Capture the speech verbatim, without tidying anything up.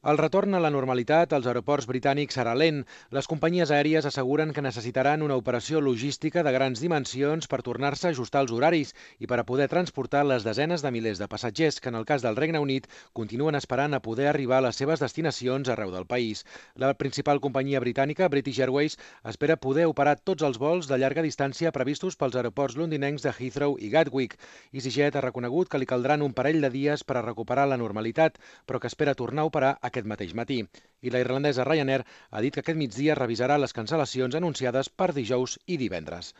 El retorn a la normalitat als aeroports britànics serà lent. Les companyies aèries asseguren que necessitaran una operació logística de grans dimensions per tornar-se a ajustar als horaris i per a poder transportar les desenes de milers de passatgers que, en el cas del Regne Unit, continuen esperant a poder arribar a les seves destinacions arreu del país. La principal companyia britànica, British Airways, espera poder operar tots els vols de llarga distància previstos pels aeroports londinencs de Heathrow i Gatwick. EasyJet ha reconegut que li caldran un parell de dies per a recuperar la normalitat, però que espera tornar a operar aquest mateix matí. I la irlandesa Ryanair ha dit que aquest migdia revisarà les cancel·lacions anunciades per dijous i divendres.